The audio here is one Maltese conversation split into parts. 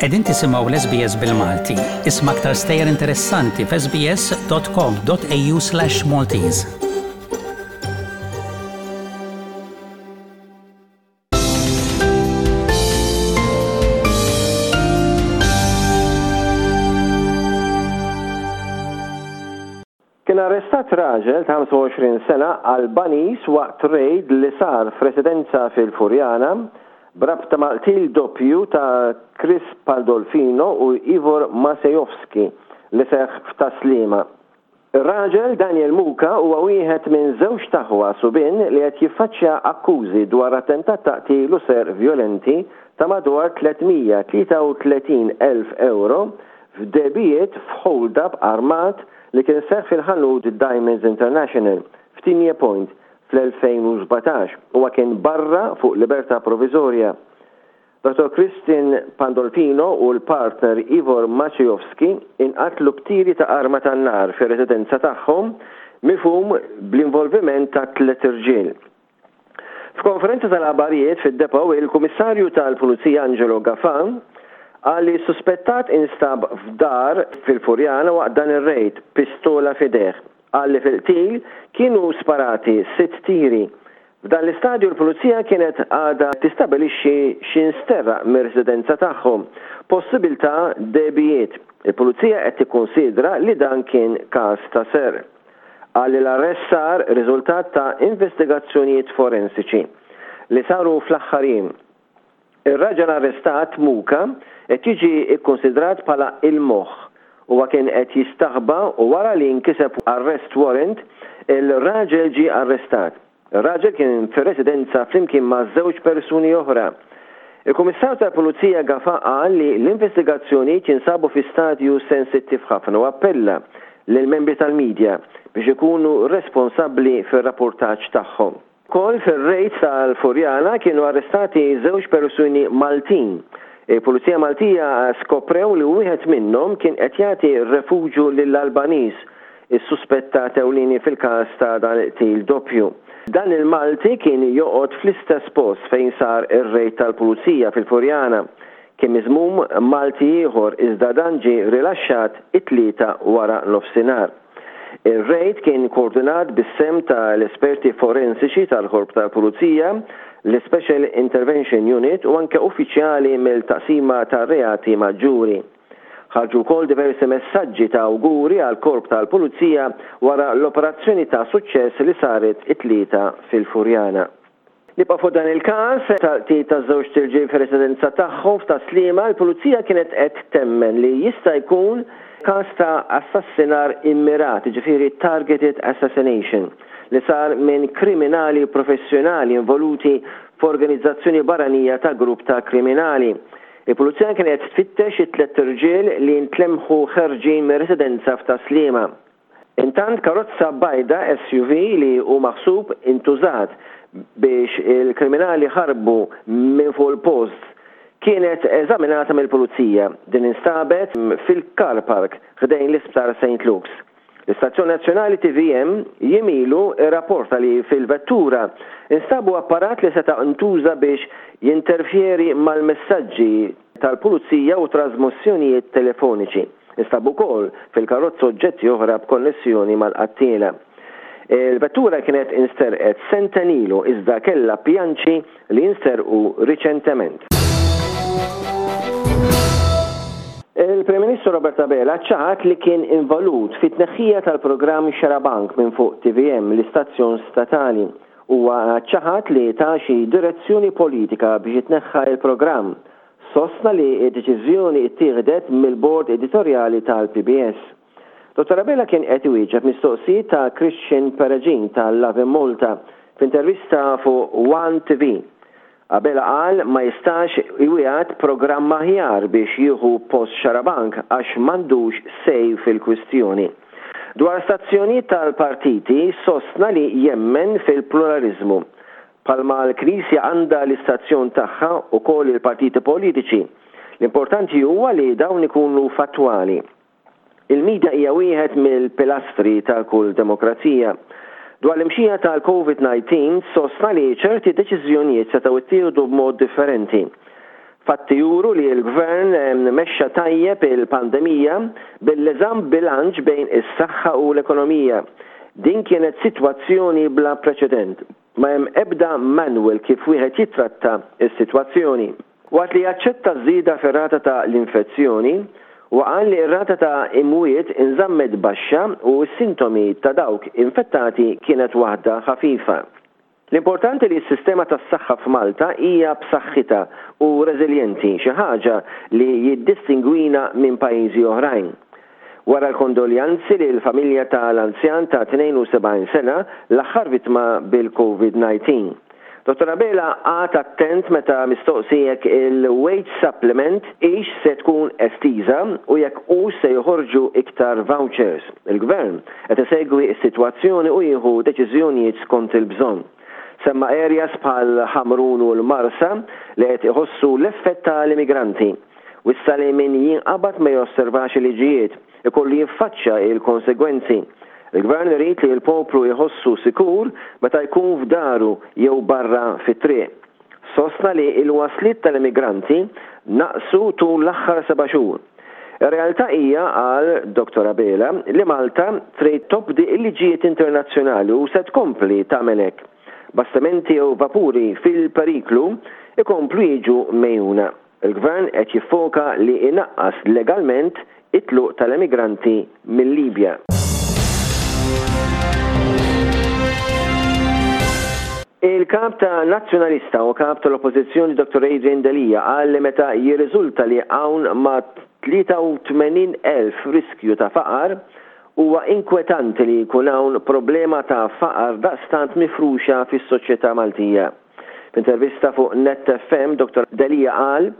Qegħdin tisimgħu l-SBS bil-Malti. Isma' aktar stejjer interessanti f'sbs.com.au/maltese. Kien arrestat raġel ta' 25 sena Albaniż waqt rejd li sar f'residenza fil-Furjana b'rabta mal-qtil doppju ta' Chris Pandolfino u Ivor Masejovski li seħħ f'Tas-Sliema. Ir-raġel, Daniel Muka, huwa wieħed minn żewġt aħwa subien li qed jiffaċċja akkużi dwar attentat ta' qtil u serq vjolenti ta' madwar 333 elf ewro f'degħbijiet f'hold-up armat li kien seħħ fil-ħanut Diamonds International f'Tigne Point fl-2017. Huwa kien barra fuq libertà proviżorja. Dottor Christian Pandolfino u l-partner Ivor Maciejowski inqatlu b'tiri ta' arma tan-nar fir-residenza tagħhom mifhum bl-involviment ta' tliet irġiel. F'konferenza tal-aħbarijiet fid-Depot, il-Kummissarju tal-Pulizija Angelo Gafà qal li s-suspettat instab f'dar fil-Furjana waqt dan ir-rejd b'pistola f'idejh. Qal li fil-qtil kienu sparati sitt tiri. F'dan l-istadju l-Pulizija kienet għadha tistabilixxi x'insteraq mir-residenza tagħhom, possibiltà degħbijiet. Il-Pulizija qed tikkunsidra li dan kien każ ta' serq. Qal li l-arrest sar riżultat ta' investigazzjonijiet forensiċi li saru fl-aħħar jiem. Ir-raġel arrestat, Muka, qed jiġi kkunsidrat bħala il-moħħ. Huwa kien qed jistaħba u wara li nkiseb arrest warrant, il-raġel ġie arrestat. Ir-raġel kien fir-residenza flimkien ma' żewġ persuni oħra. Il-Kummissarju tal-Pulizija Gafà qal li l-investigazzjonijiet jinsabu fi stadju sensittiv ħafna u appella lill-membri tal-media biex ikunu responsabbli fir-rappurtaġġ tagħhom. Ukoll fir-rejd tal-Furjana kienu arrestati żewġ persuni Maltin. Il-Pulizija Maltija skoprew li wieħed minnhom kien qed jagħti refuġju lill-Albaniż is-suspettat ewlieni fil-każ ta' dan il-qtil doppju. Dan il-Malti kien joqgħod fl-istess post fejn sar ir-rejd tal-Pulizija fil-Furjana. Kien miżmum Malti ieħor iżda dan ġie rilaxxat it-Tlieta wara nofsinhar. Ir-rejd kien koordinat bis-sehem ta' l-esperti forensiċi tal-Korp tal-Pulizija, l-Ispecial Intervention Unit u anke uffiċjali mill-Taqsima tar-Reati Maġġuri. Ħarġu wkoll diversi messaġġi ta' awguri għall-Korp tal-Pulizija wara l-operazzjoni ta' suċċess li saret it-Tlieta fil-Furjana. Nibqgħu fuq dan il-każ tal-qtil ta' żewġt irġiel fir-residenza tagħhom f'Tas-Sliema, il-Pulizija kienet qed temmen li jista' jkun każ ta' assassinar immirat, jiġifieri targeted assassination, li sar minn kriminali professjonali involuti f'organizzazzjoni barranija ta' grupp ta' kriminali. Il-Pulizija kienet qed tfittex it-tlett irġiel li ntlemħu ħerġin mir-residenza f'Tas-Sliema. Intant karozza bajda SUV li hu maħsub intużat biex il-kriminali ħarbu minn fuq il-post kienet eżaminata mill-Pulizija. Din instabet fil-car park ħdejn l-Isptar St Luke's. L-istazzjon nazzjonali tvm jiem ilu rrapporta li fil-vettura nstabu apparat li seta' ntuża biex jinterfjeri mal-messaġġi tal-pulizija u trażmissjonijiet telefoniċi. Instabu wkoll fil-karozza oġġetti oħra b'konnessjoni mal-qattiela. Il-vettura kienet insterqet sentejn ilu iżda kellha pjanċi li jinsterqu riċentement. Il-Prim Ministru Robert Abela ċaħad li kien involut fit-tneħħija tal-programm Xarabank minn fuq tvm, l-istazzjon statali. Huwa ċaħad li ta xi direzzjoni politika biex jitneħħa l-programm. Sostna li d-deċiżjoni ttieħdet mill-bord editorjali tal-PBS. Dottor Abela kien qed iwieġeb mistoqsijiet ta' Christian Peregin ta' Lovin Malta f'intervista fuq One TV. Abela qal ma jistax iwiegħed programm aħjar biex jieħu post Xarabank għax m'għandux say fil-kwistjoni. Dwar stazzjonijiet tal-partiti sostna li jemmen fil-pluraliżmu. Bħalma l-Knisja għandha l-istazzjon tagħha ukoll il-partiti politiċi. L-importanti huwa li dawn ikunu fattwali. Il-media hija wieħed mill-pilastri ta' kull demokrazija. Dwar l-imxija tal-Covid 19 sostna li ċerti deċiżjonijiet setgħu ttieħdu b'mod differenti. Fatti juru li l-Gvern mexxa tajjeb il-pandemija billi żamm bilanċ bejn is-saħħa u l-ekonomija. Din kienet sitwazzjoni bla preċedent. Ma hemm ebda manual kif wieħed jittratta s-sitwazzjoni. Waqt li aċċetta ż-żieda fir-rata ta' l-infezzjoni, huwa qal li r-rata ta' imwiet inżammet baxxa u s-sintomi ta' dawk infettati kienet waħda ħafifa. L-importanti li s-sistema tas-saħħa f'Malta hija b'saħħitha u reżiljenti, xi ħaġa li jiddistingwina minn pajjiżi oħrajn. Wara l-kondoljanzi lill-familja ta' l-anzjan ta' 72 sena, l-aħħar vittma bil-Covid 19. Dottor Abela qagħad attent meta mistoqsi jekk il-wage supplement hix se tkun estiża u jekk hux se joħorġu iktar vouchers. Il-Gvern qed isegwi s-sitwazzjoni u jieħu deċiżjonijiet skont il-bżonn. Semma areas bħal Ħamrun u l-Marsa li qed iħossu l-effett ta' l-immigranti. Wissa li min jinqabad ma josservax il-liġijiet, ikollu jiffaċċja l-konsegwenzi. Il-Gvern irid li l-poplu jħossu sikur meta jkun f'daru jew barra fit-triq. Sostna li l-wasliet tal-immigranti naqsu tul l-aħħar seba' xhur. Ir-realtà hija, qal Dottor Abela, li Malta trid tobdi l-liġijiet internazzjonali u se tkompli tagħmel hekk. Bastimenti jew vapuri fil-periklu jkomplu jiġu megħjuna. Il-Gvern qed jiffoka li jnaqqas legalment it-tluq tal-emigranti mil-Libja. Il-Kap ta' Nazzjonalista u Kap tal-Oppożizzjoni Dottor Adrian Delia qal li meta jirriżulta li hawn ma' 83,000 riskju ta' faqar, huwa inkwetanti li jkun hawn problema ta' faqar daqstant mifruxa fis-soċjetà Maltija. F'intervista fuq Net FM, Dottor Delia qal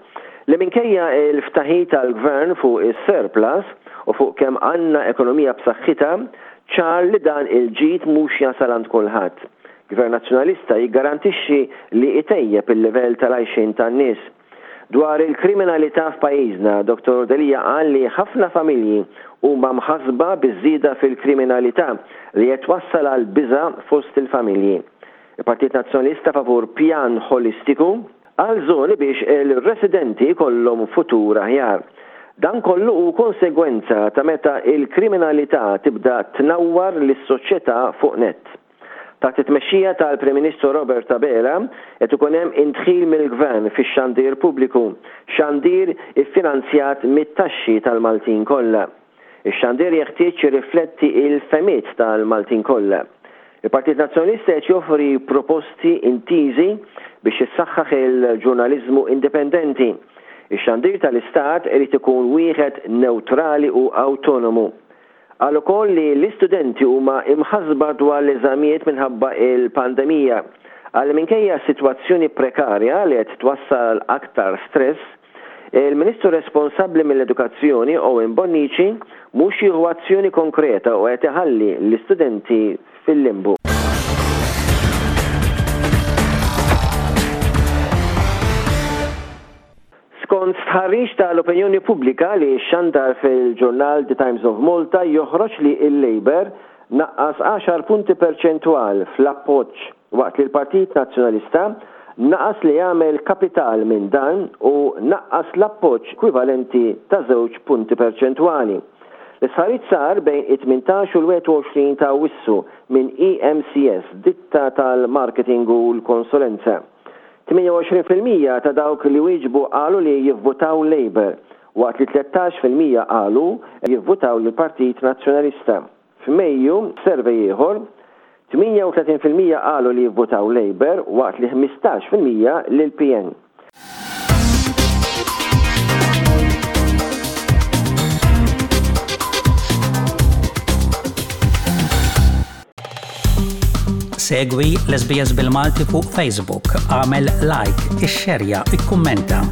li minkejja l-ftaħir tal-Gvern fuq is-surplus u fuq kemm għandna ekonomija b'saħħitha, ċar li dan il-ġid mhux jasal għand kulħadd. Gvern Nazzjonalista jiggarantixxi li jtejjeb il-livell tal-għajxien tan-nies. Dwar il-kriminalità f'pajjiżna, Dottor Delia qal li ħafna familji huma mħassba biż-żieda fil-kriminalità li qed twassal għal biża' fost il-familji. Il-Partit Nazzjonalista favur pjan ħolistiku għal żoni biex il-residenti jkollhom futur aħjar. Dan kollu hu konsegwenza ta' meta l-kriminalità tibda tnawwar lis-soċjetà fuq nett. Taħt it-tmexxija tal-Prim Ministru Robert Abela qed ikun hemm indħil mill-Gvern fix-xandir pubbliku, xandir iffinanzjat mit-taxxi tal-Maltin kollha. Ix-xandir jeħtieġ jirrifletti l-fehmiet tal-Maltin kollha. Il-Partit Nazzjonalista qed joffri proposti intiżi biex jissaħħaħ il-ġurnaliżmu indipendenti. Ix-xandir tal-Istat irid ikun wieħed newtrali u awtonomu. Qal ukoll li l-istudenti huma imħassba dwar l-eżamijiet minħabba l-pandemija. Qal li minkejja s-sitwazzjoni prekarja li qed twassal għal aktar stress, Il-Ministru responsabbli mill-Edukazzjoni, Owen Bonnici, mhux jieħu azzjoni konkreta u qed iħalli l-istudenti fil-limbu. Skont stħarriġ tal-opinjoni pubblika li xxandar fil-ġurnal The Times of Malta joħroġ li l-Labour naqqas għaxar punti perċentwal fl-appoġġ waqt li l-Partit Nazzjonalista naqas li jagħmel kapital minn dan u naqqas l-appoġġ kwivalenti ta' żewġ punti perċentwali. L-istħarriġ sar bejn it-18 u l-21 ta' Awwissu minn EMCS, ditta tal-marketing u l-konsulenza. 28% ta' dawk li wieġbu qalu li jivvutaw Labour, waqt li 13% qalu jivvutaw lill-Partit Nazzjonalista. F'Mejju, f'survey ieħor, 38% qalu li jivvutaw Labour waqt li 15% lill-PN. Segwi l-SBS bil-Malti fuq Facebook, għamel like, ixxerja, ikkummenta.